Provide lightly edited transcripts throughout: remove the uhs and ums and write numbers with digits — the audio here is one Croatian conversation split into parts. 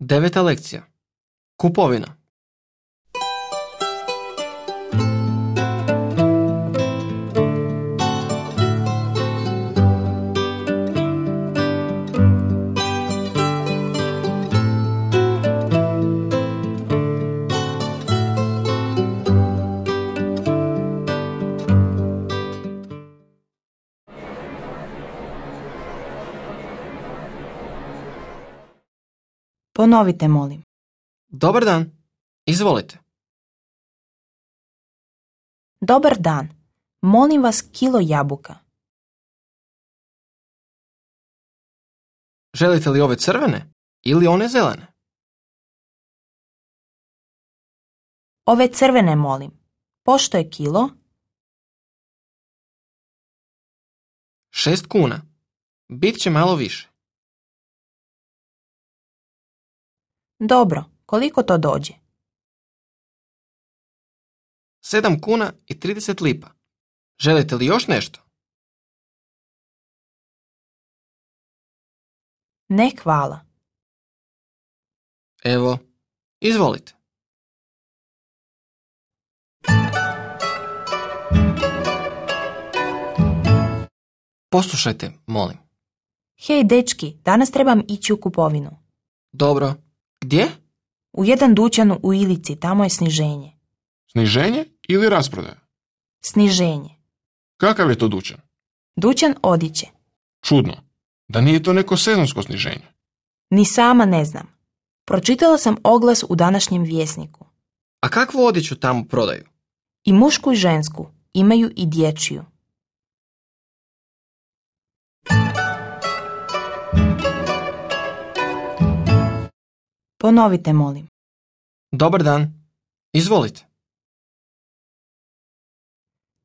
9. lekcija. Kupovina. Ponovite, molim. Dobar dan. Izvolite. Dobar dan. Molim vas kilo jabuka. Želite li ove crvene ili one zelene? Ove crvene, molim. Pošto je kilo? 6 kuna. Bit će malo više. Dobro, koliko to dođe? 7 kuna i 30 lipa. Želite li još nešto? Ne, hvala. Evo, izvolite. Poslušajte, molim. Hej, dečki, danas trebam ići u kupovinu. Dobro. Gdje? U jedan dućan u Ilici, tamo je sniženje. Sniženje ili rasprodaja? Sniženje. Kakav je to dućan? Dućan odjeće. Čudno. Da nije to neko sezonsko sniženje. Ni sama ne znam. Pročitala sam oglas u današnjem Vjesniku. A kakvu odjeću tamo prodaju? I mušku i žensku. Imaju i dječju. Ponovite, molim. Dobar dan. Izvolite.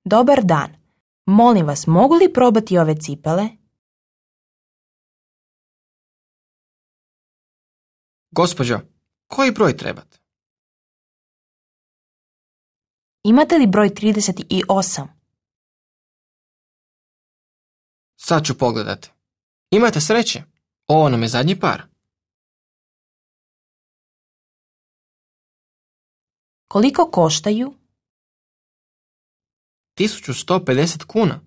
Dobar dan. Molim vas, mogu li probati ove cipele? Gospođo, koji broj trebate? Imate li broj 38? Sad ću pogledati. Imate sreće. Ovo nam je zadnji par. Koliko koštaju? 1150 kuna.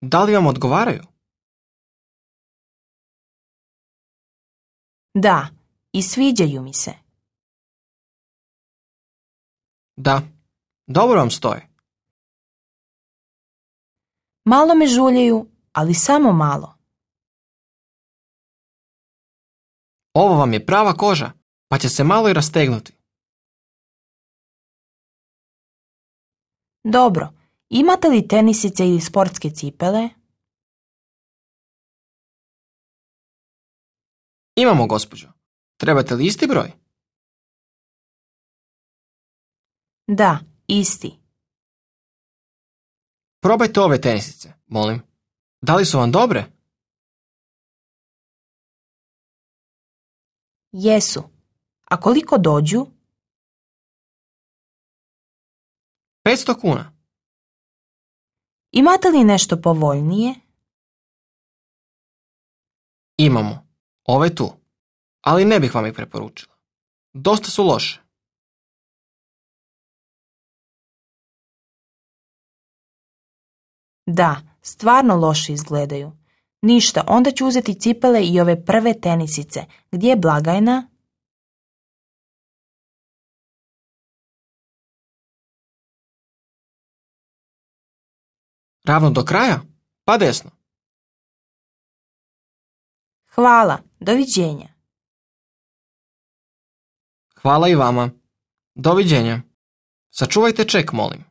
Da li vam odgovaraju? Da, i sviđaju mi se. Da. Dobro vam stoje. Malo me žuljaju, ali samo malo. Ovo vam je prava koža, pa će se malo i rastegnuti. Dobro, imate li tenisice ili sportske cipele? Imamo, gospođo. Trebate li isti broj? Da, isti. Probajte ove tenisice, molim. Da li su vam dobre? Jesu. A koliko dođu? 500 kuna. Imate li nešto povoljnije? Imamo. Ove tu. Ali ne bih vam ih preporučila. Dosta su loše. Da, stvarno loše izgledaju. Ništa, onda ću uzeti cipele i ove prve tenisice. Gdje je blagajna? Ravno do kraja? Pa desno. Hvala, doviđenja. Hvala i vama. Doviđenja. Sačuvajte ček, molim.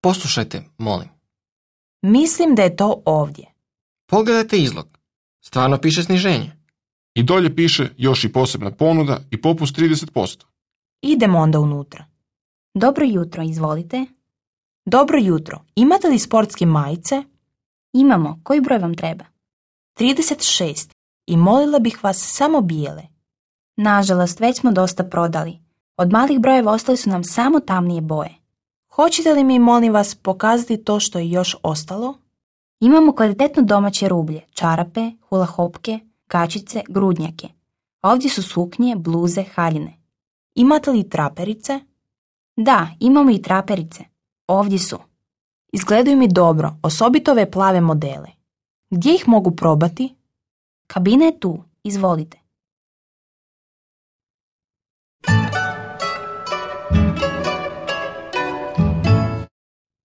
Poslušajte, molim. Mislim da je to ovdje. Pogledajte izlog. Stvarno piše sniženje. I dolje piše još i posebna ponuda i popust 30%. Idemo onda unutra. Dobro jutro, izvolite. Dobro jutro. Imate li sportske majice? Imamo. Koji broj vam treba? 36. I molila bih vas samo bijele. Nažalost, već smo dosta prodali. Od malih brojeva ostali su nam samo tamnije boje. Hoćete li mi, molim vas, pokazati to što je još ostalo? Imamo kvalitetno domaće rublje, čarape, hulahopke, kačice, grudnjake. Ovdje su suknje, bluze, haljine. Imate li traperice? Da, imamo i traperice. Ovdje su. Izgledaju mi dobro, osobito ove plave modele. Gdje ih mogu probati? Kabina je tu, izvolite.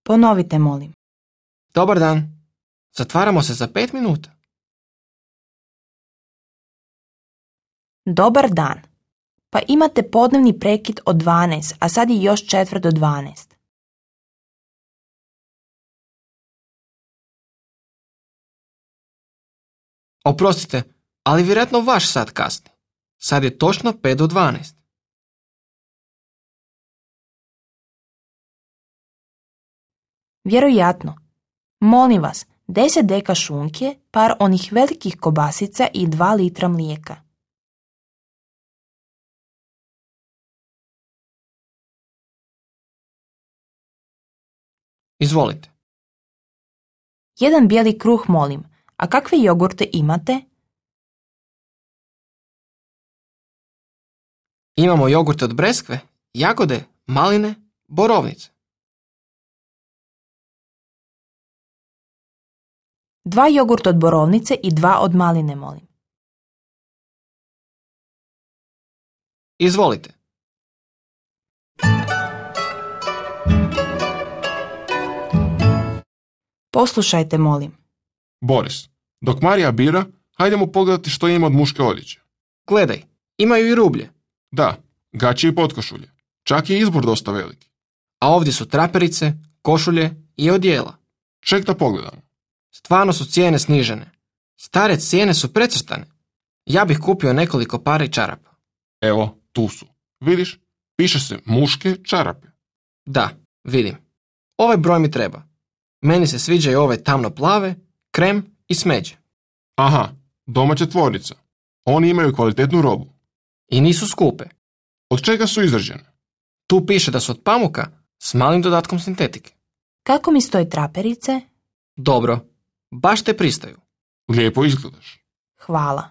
Ponovite, molim. Dobar dan. Zatvaramo se za 5 minuta. Dobar dan. Pa imate podnevni prekid od 12, a sad je još 4 do 12. Oprostite, ali vjerojatno vaš sat kasni. Sad je točno 5 do 12. Vjerojatno. Molim vas, 10 deka šunke, par onih velikih kobasica i 2 litra mlijeka. Izvolite. Jedan bijeli kruh, molim. A kakve jogurte imate? Imamo jogurt od breskve, jagode, maline, borovnice. 2 jogurta od borovnice i 2 od maline, molim. Izvolite. Poslušajte, molim. Boris, dok Marija bira, hajdemo pogledati što ima od muške odjeće. Gledaj, imaju i rublje. Da, gaće i potkošulje. Čak je izbor dosta veliki. A ovdje su traperice, košulje i odijela. Ček da pogledamo. Stvarno su cijene snižene. Stare cijene su precrtane. Ja bih kupio nekoliko para i čarapa. Evo, tu su. Vidiš, piše se muške čarape. Da, vidim. Ovaj broj mi treba. Meni se sviđaju ove tamno plave, krem i smeđe. Aha, domaća tvornica. Oni imaju kvalitetnu robu. I nisu skupe. Od čega su izrađene? Tu piše da su od pamuka s malim dodatkom sintetike. Kako mi stoje traperice? Dobro, baš te pristaju. Lijepo izgledaš. Hvala.